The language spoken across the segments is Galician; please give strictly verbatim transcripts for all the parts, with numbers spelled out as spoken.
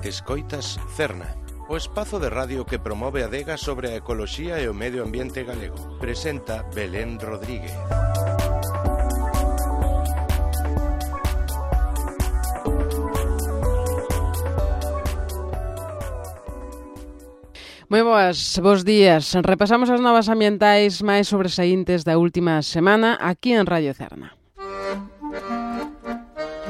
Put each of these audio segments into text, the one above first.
Escoitas Cerna, o espazo de radio que promove a adega sobre a ecoloxía e o medio ambiente galego. Presenta Belén Rodríguez. Moi boas, bos días. Repasamos as novas ambientais máis sobresaíntes da última semana aquí en Radio Cerna.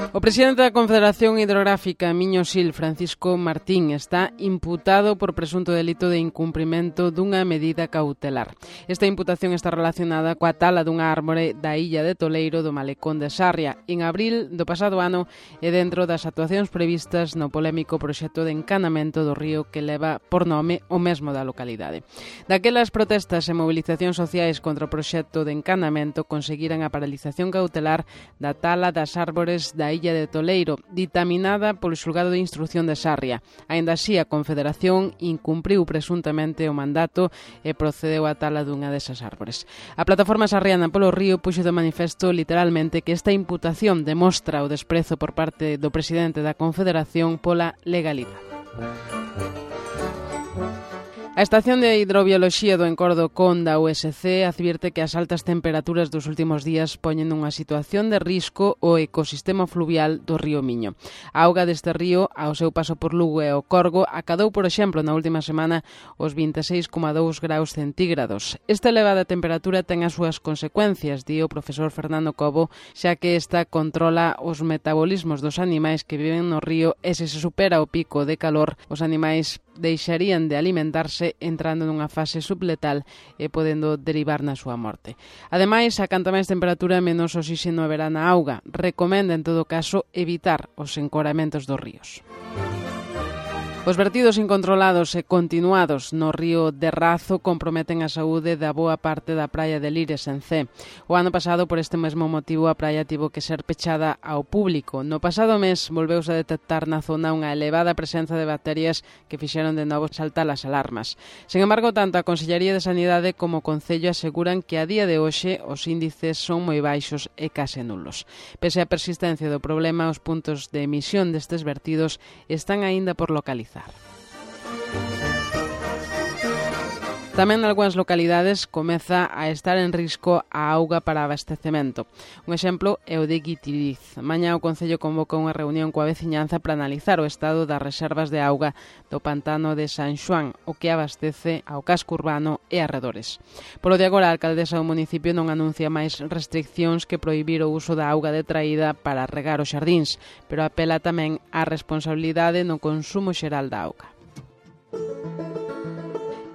O presidente da Confederación Hidrográfica Miño-Sil, Francisco Martín, está imputado por presunto delito de incumprimento dunha medida cautelar. Esta imputación está relacionada coa tala dunha árbore da illa de Toleiro do Malecón de Sarria en abril do pasado ano e dentro das actuacións previstas no polémico proxecto de encanamento do río que leva por nome o mesmo da localidade. Daquelas protestas e movilizacións sociais contra o proxecto de encanamento conseguiran a paralización cautelar da tala das árbores da illa de Toleiro, ditaminada polo xulgado de instrucción de Sarria. Aínda así, a Confederación incumpriu presuntamente o mandato e procedeu á tala dunha desas árbores. A plataforma sarriana polo río puxo de manifesto literalmente que esta imputación demostra o desprezo por parte do presidente da Confederación pola legalidade. A Estación de Hidrobioloxía do Encordo Con da U S C advierte que as altas temperaturas dos últimos días poñen nunha situación de risco o ecosistema fluvial do río Miño. A auga deste río, ao seu paso por Lugo e o Corgo, acadou, por exemplo, na última semana os vinte e seis coma dous graus centígrados. Esta elevada temperatura ten as súas consecuencias, di o profesor Fernando Cobo, xa que esta controla os metabolismos dos animais que viven no río e se se supera o pico de calor, os animais deixarían de alimentarse entrando nunha fase subletal e podendo derivar na súa morte. Ademais, a canta máis temperatura, menos oxígeno haberá na auga. Recomenda, en todo caso, evitar os encoramentos dos ríos. Os vertidos incontrolados e continuados no río de Razo comprometen a saúde da boa parte da praia de Lires en Cee. O ano pasado, por este mesmo motivo, a praia tivo que ser pechada ao público. No pasado mes volveuse a detectar na zona unha elevada presenza de bacterias que fixeron de novo saltar as alarmas. Sen embargo, tanto a Consellería de Sanidade como o Concello aseguran que a día de hoxe os índices son moi baixos e case nulos. Pese á persistencia do problema, os puntos de emisión destes vertidos están aínda por localizar. Tamén nalgúnas localidades comeza a estar en risco a auga para abastecemento. Un exemplo é o de Guitiriz. Mañá o Concello convoca unha reunión coa veciñanza para analizar o estado das reservas de auga do pantano de San Xoán, o que abastece ao casco urbano e arredores. Polo de agora, a alcaldesa do municipio non anuncia máis restriccións que prohibir o uso da auga detraída para regar os xardíns, pero apela tamén á responsabilidade no consumo xeral da auga.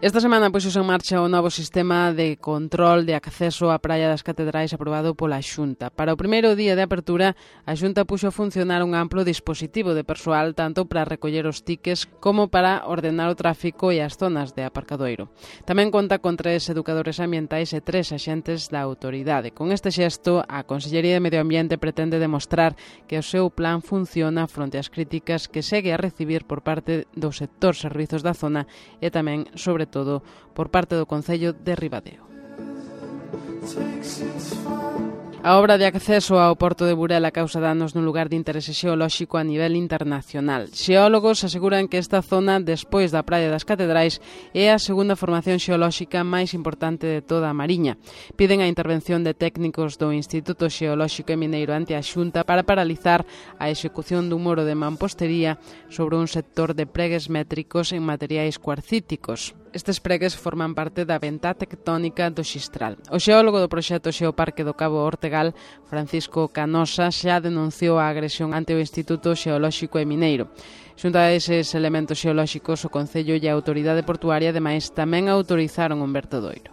Esta semana puxose en marcha o novo sistema de control de acceso á Praia das Catedrais aprobado pola Xunta. Para o primeiro día de apertura, a Xunta puxo a funcionar un amplo dispositivo de persoal tanto para recoller os tiques como para ordenar o tráfico e as zonas de aparcadoiro. Tamén conta con tres educadores ambientais e tres axentes da autoridade. Con este xesto, a Consellería de Medio Ambiente pretende demostrar que o seu plan funciona fronte ás críticas que segue a recibir por parte do sector servizos da zona e tamén, sobre todo por parte do Concello de Ribadeo. A obra de acceso ao porto de Burela causa danos nun lugar de interese xeolóxico a nivel internacional. Xeólogos aseguran que esta zona, despois da Praia das Catedrais, é a segunda formación xeolóxica máis importante de toda a Mariña. Piden a intervención de técnicos do Instituto Xeolóxico e Mineiro ante a Xunta para paralizar a execución dun muro de mampostería sobre un sector de pregues métricos en materiais cuarcíticos. Estes pregues forman parte da ventá tectónica do Xistral. O xeólogo do proxecto Xeoparque do Cabo Ortegal, Francisco Canosa, xa denunciou a agresión ante o Instituto Xeolóxico e Mineiro. Xunto a eses elementos xeolóxicos, o Concello e a Autoridade Portuaria, ademais, tamén autorizaron un vertedoiro.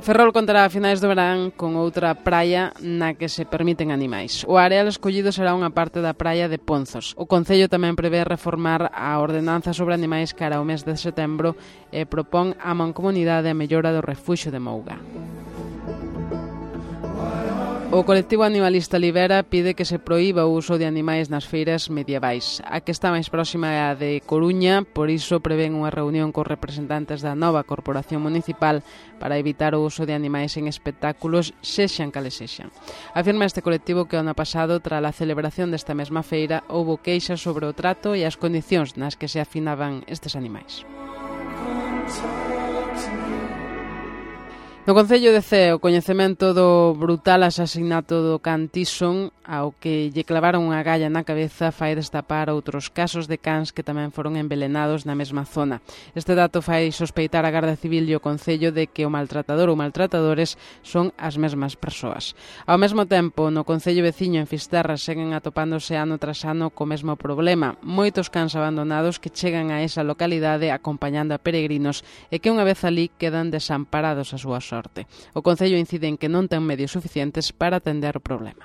Ferrol contará a finais do verán con outra praia na que se permiten animais. O areal escollido será unha parte da praia de Ponzos. O Concello tamén prevé reformar a ordenanza sobre animais cara ao mes de setembro e propón á Mancomunidade a mellora do refuxio de Mouga. O colectivo animalista Libera pide que se proíba o uso de animais nas feiras medievais. A que está máis próxima é a de Coruña, por iso prevén unha reunión cos representantes da nova corporación municipal para evitar o uso de animais en espectáculos, sexan cales sexan. Afirma este colectivo que o ano pasado, tras a celebración desta mesma feira, houbo queixas sobre o trato e as condicións nas que se afinaban estes animais. No Concello de Cee, o coñecemento do brutal asasinato do can Tyson, ao que lle clavaron unha galla na cabeza, fai destapar outros casos de cans que tamén foron envelenados na mesma zona. Este dato fai sospeitar a Garda Civil e o Concello de que o maltratador ou maltratadores son as mesmas persoas. Ao mesmo tempo, no Concello veciño en Fisterra seguen atopándose ano tras ano co mesmo problema. Moitos cans abandonados que chegan a esa localidade acompañando a peregrinos e que unha vez alí quedan desamparados a súa sorte. O Concello incide en que non ten medios suficientes para atender o problema.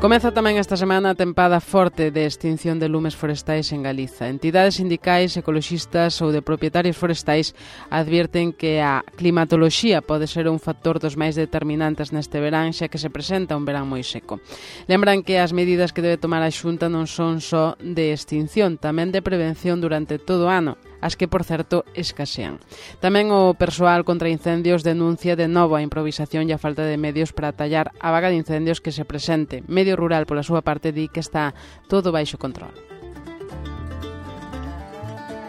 Comeza tamén esta semana a tempada forte de extinción de lumes forestais en Galiza. Entidades sindicais, ecoloxistas ou de propietarios forestais advierten que a climatoloxía pode ser un factor dos máis determinantes neste verán, xa que se presenta un verán moi seco. Lembran que as medidas que debe tomar a Xunta non son só de extinción, tamén de prevención durante todo o ano, as que, por certo, escasean. Tamén o persoal contra incendios denuncia de novo a improvisación e a falta de medios para atallar a vaga de incendios que se presente. Medio Rural, pola súa parte, di que está todo baixo control.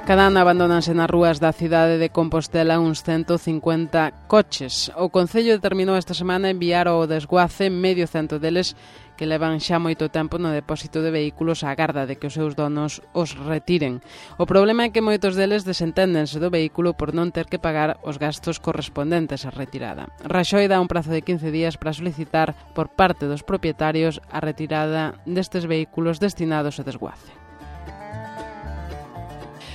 Cada ano abandónanse nas rúas da cidade de Compostela uns ciento cincuenta coches. O Concello determinou esta semana enviar ao desguace medio cento deles que levan xa moito tempo no depósito de vehículos á garda de que os seus donos os retiren. O problema é que moitos deles desenténdense do vehículo por non ter que pagar os gastos correspondentes á retirada. Raxoi dá un prazo de quince días para solicitar por parte dos propietarios a retirada destes vehículos destinados ao desguace.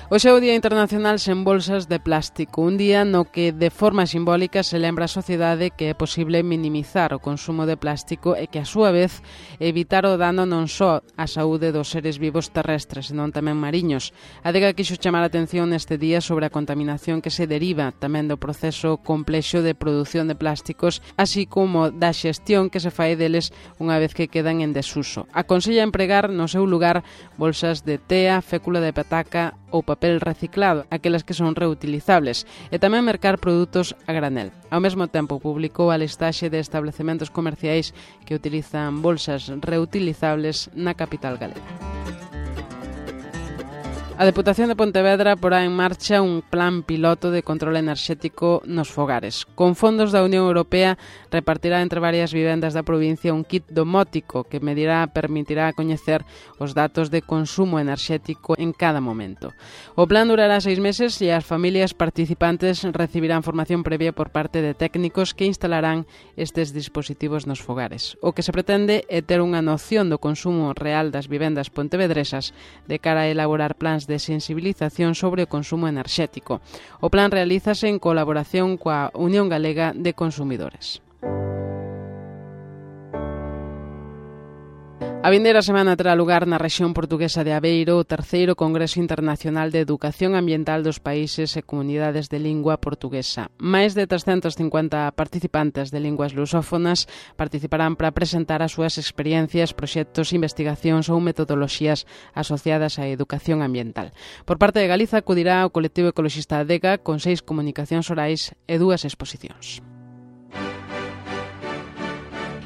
Hoxe é o Día Internacional sen bolsas de plástico, un día no que de forma simbólica se lembra a sociedade que é posible minimizar o consumo de plástico e que a súa vez evitar o dano non só á saúde dos seres vivos terrestres, senón tamén mariños. A Adega quixo chamar a atención neste día sobre a contaminación que se deriva tamén do proceso complexo de produción de plásticos, así como da xestión que se fai deles unha vez que quedan en desuso. Aconsella empregar no seu lugar bolsas de tea, fécula de pataca ou papel reciclado, aquelas que son reutilizables, e tamén mercar produtos a granel. Ao mesmo tempo, publicou a listaxe de establecementos comerciais que utilizan bolsas reutilizables na capital galega. A Deputación de Pontevedra porá en marcha un plan piloto de control enerxético nos fogares. Con fondos da Unión Europea repartirá entre varias vivendas da provincia un kit domótico que medirá permitirá coñecer os datos de consumo enerxético en cada momento. O plan durará seis meses e as familias participantes recibirán formación previa por parte de técnicos que instalarán estes dispositivos nos fogares. O que se pretende é ter unha noción do consumo real das vivendas pontevedresas de cara a elaborar plans de sensibilización sobre o consumo enerxético. O plan realízase en colaboración coa Unión Galega de Consumidores. A vindeira semana terá lugar na rexión portuguesa de Aveiro o terceiro Congreso Internacional de Educación Ambiental dos Países e Comunidades de Lingua Portuguesa. Máis de trescentos cincuenta participantes de linguas lusófonas participarán para presentar as súas experiencias, proxectos, investigacións ou metodoloxías asociadas á educación ambiental. Por parte de Galiza acudirá o colectivo ecoloxista Adega con seis comunicacións orais e dúas exposicións.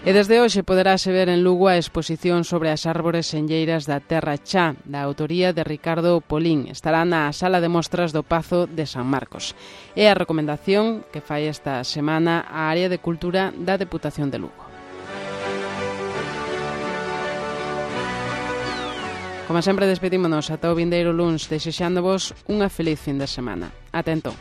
E desde hoxe poderase ver en Lugo a exposición sobre as árbores enlleiras da Terra Chá, da autoría de Ricardo Polín. Estará na sala de mostras do Pazo de San Marcos. É a recomendación que fai esta semana a área de cultura da Deputación de Lugo. Como sempre, despedímonos ata o vindeiro luns, desexándovos unha feliz fin de semana. Ata entón.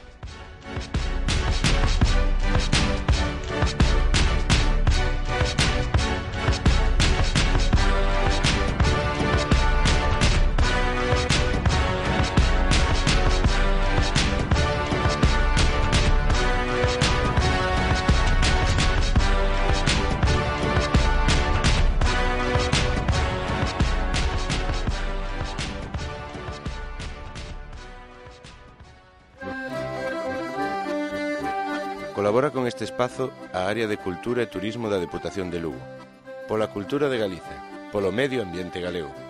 Colabora con este espazo a Área de Cultura e Turismo da Deputación de Lugo. Pola cultura de Galicia, polo medio ambiente galego.